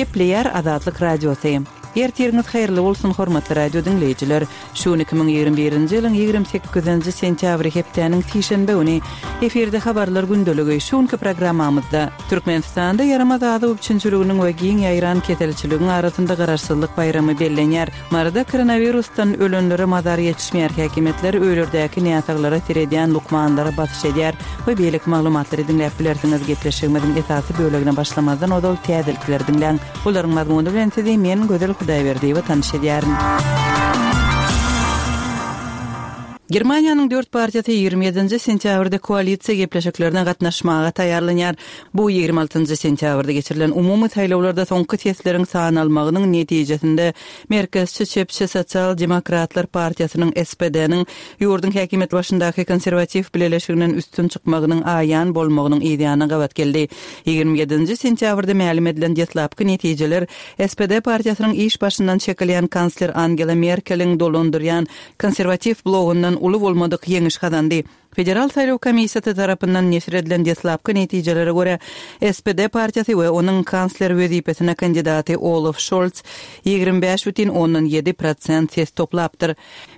Gepleýär Azatlyk Radiosy. Ertiriňiz haýyrly bolsun hormatly radio diňleýjiler. Şu gün 2021-nji ýylyň 28-nji sentýabry hepdäniň sişenbe güni. Efirde habarlar gündeligi. Şu günki programmamyzda Türkmenistanda ýaramaz azyk üpjünçiliginiň we giň ýaýran keselçiligiň arasynda Garaşsyzlyk baýramy bellenýär. Maryda koronawirusdan ölenlere mazar ýetişmeýär, häkimiýetler öýlerdäki näsaglara seredýän lukmanlara basyş edýär we beýleki maglumatlary diňläp bilersiňiz. Gepleşigimiziň esasy bölegine başlamazdan ozal täzelikleri diňläň. Olaryň mazmuny bilen sizi men, Gözel Hudaýberdiýewa tanyş edýärin. Germaniýanyň dört partiýasy 27-nji sentýabrda koalisiýa gepleşiklerine gatnaşmaga taýýarlanýar. Bu 26-njy sentýabrda geçirilen umumy saýlawlarda soňky sesleriň sanalmagynyň netijesinde merkezçi çepçi Sosial demokratlar partiýasynyň, SPD-niň, ýurduň häkimiýet başyndaky konserwatiw bileleşiginden üstün çykmagynyň aýan bolmagynyň yzýanyna gabat geldi. 27-nji sentýabrda mälim edilen deslapky netijeler SPD partiýasynyň iş başyndan çekilýän kansler Angela Merkeliň dolandyrýan Konserwatiw blogyndan uly bolmadyk ýeňiş gazandy. Federal saýlaw komissiýasy tarapyndan neşir edilen deslapky netijelere görä, SPD partiýasy we onuň kansler wezipesine kandidaty Olaf Şolz 25,7 prosent ses toplapdyr.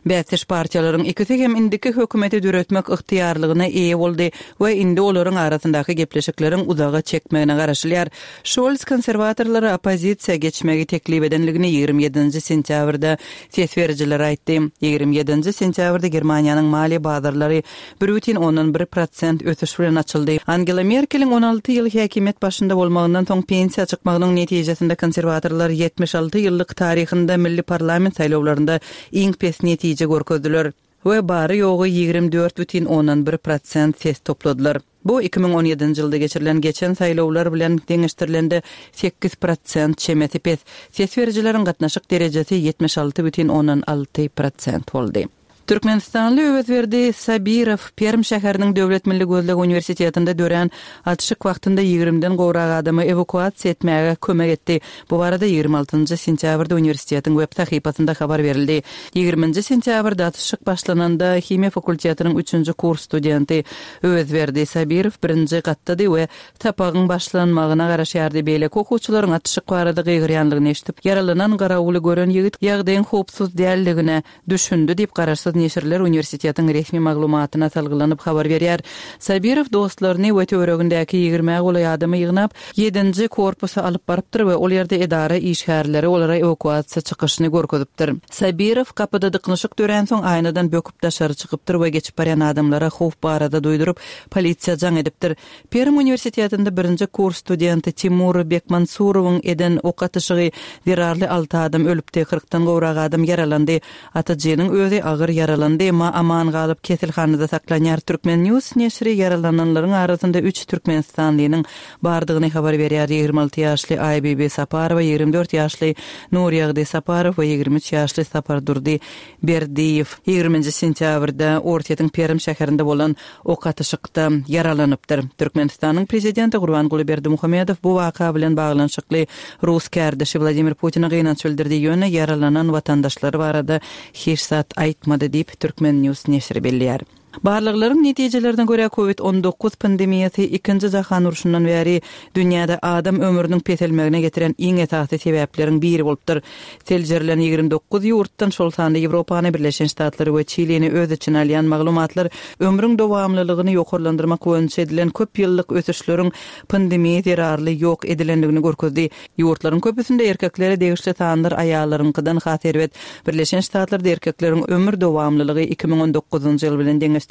Bäsdeş partiýalaryň ikisi hem indiki hökümeti döretmek ygtyýarlygyna eýe boldy we indi olaryň arasyndaky gepleşikleriň uzaga çekmegine garaşylýar. Şolz konserwatorlara oppozisiýa geçmegi teklip edenligini 27-nji sentýabrda Ses berijilere aýtdy. 27-nji sentýabrda Germaniýanyň maliýe bazarlary 1,1 prosent ösüş bilen açyldy. Angela Merkeliň 16 ýyl häkimiýet başynda bolmagyndan soň pensiýa çykmagynyň netijesinde konserwatorlar 76 ýyllyk taryhynda milli parlament saýlawlarynda iň pes netije görkezdiler we bary-ýogy 24,1 prosent ses topladylar. Bu 2017-nji ýylda geçirilen geçen saýlawlar bilen deňeşdirilende 8 prosent çemesi pes. Ses berijileriň gatnaşyk derejesi 76,6 prosent boldy. Türkmenistanly Öwezberdi Sabirow Perm şäheriniň Döwlet milli gözleg uniwersitetinde dörän atyşyk wagtynda ýigrimden gowrak adamy ewakuasiýa etmäge kömek etdi. Bu barada 26-njy sentýabrda uniwersitetiň web sahypasynda habar berildi. Ýigriminji sentýabrda atyşyk başlananda himiýa fakultetiniň üçünji kurs studenti Öwezberdi Sabirow birinji gatdady we sapagyň başlanmagyna garaşýardy. Beýleki okuwçylaryň atyşyk barada gygyrýanlygyny eşidip, ýaralanan garawuly gören ýigit ýagdaýyň howpsuz däldigine düşündi diýip, garaşsyz neşirler uniwersitetiň resmi maglumatyna salgylanyp habar berýär. Sabirow dostlaryny we töweregindäki ýigrimä golaý adamy ýygnap, ýedinji korpusa alyp barypdyr we ol ýerde edara işgärleri olara ewakuasiýa çykyşyny görkezipdir. Sabirow gapyda dyknyşyk döränsoň aýnadan böküp daşary çykypdyr we geçip barýan adamlara howp barada duýduryp, polisiýa jaň edipdir. Perm uniwersitetinde birinji kurs studenti Timur Bekmansurowyň eden ok atyşygy zerarly alty adam ölüpdi, kyrkdan gowrak adam ýaralandy. Atyjynyň özi agyr ýaralandy, emma aman galyp, keselhanada saklanýar. Turkmen. News neşiri ýaralananlaryň arasynda üç türkmenistanlynyň bardygyny habar berýär, 26 ýaşly Aýbibi Saparowa, 24 ýaşly Nurýagdy Saparow we 23 ýaşly Sapardurdy Berdiýew. Ýigriminji sentýabrda Orsýetiň Perm şäherinde bolan ok atyşykda ýaralanypdyr. Türkmenistanyň Prezidenti Gurbanguly Berdimuhamedow bu waka bilen baglanyşykly rus kärdeşi Wladimir Putine gynanç bildirdi, ýöne ýaralanan watandaşlary barada hiç zat aýtmady diýip, Turkmen. News neşiri belleýär. Barlaglaryň netijelerine görä, Covid 19 pandemiýasy Ikinji jahan urşundan bäri dünýäde adam ömrüniň peselmegine getiren iň esasy sebäpleriň biri bolupdyr. Seljerilen 29 ýurtdan, şol sanda Ýewropany, Birleşen Ştatlary we Çilini öz içine alýan maglumatlar ömrüň dowamlylygyny ýokarlandyrmak boýunça edilen köp ýyllyk ösüşleriň pandemiýa zerarly ýok edilendigini görkezdi. Ýurtlaryň köpüsinde erkeklere degişli sanlar aýallaryňkydan has erbet. Birleşen Ştatlarda erkekleriň ömür dowamlylygy 2019-njy ýyl bilen deňeşdirilende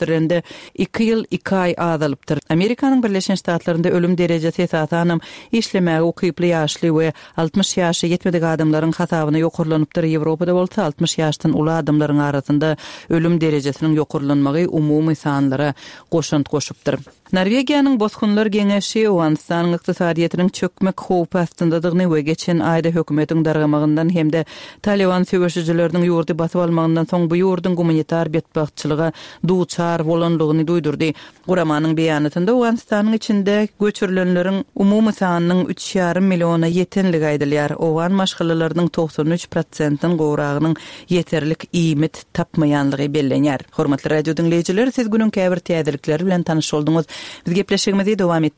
iki ýyl iki aý azalypdyr. Amerikanyň Birleşen Ştatlarynda ölüm derejesi esasanam işlemäge ukyply ýaşly we 60 ýaşa ýetmedik adamlaryň hasabyna ýokarlanypdyr, Ýewropada bolsa 60 ýaşdan uly adamlaryň arasynda ölüm derejesiniň ýokarlanmagy umumy sanlara goşant goşupdyr. Norwegiýanyň Bosgunlar geňeşi Owganystanyň ykdysadyýetiniň çökmek howpy astyndadygyny we geçen aýda hökümetiň dargamagyndan hem-de Talyban söweşijileriniň ýurdy basyp almagyndan soň bu ýurduň gumanitar betbagtçylyga duçar bolanlygyny duýdurdy. Guramanyň beýanatynda Owganystanyň içinde göçürilenleriň umumy sanynyň üç ýarym milliona ýetenligi aýdylýar. Owgan maşgalalarynyň 93 prosentden gowragynyň ýeterlik iýmit tapmaýanlygy bellenýär. Hormatly radio diňleýjiler, siz günüň käbir täzelikleri bilen tanyş bolduňyz. Biz gepleşigimizi dowam etdirýäris.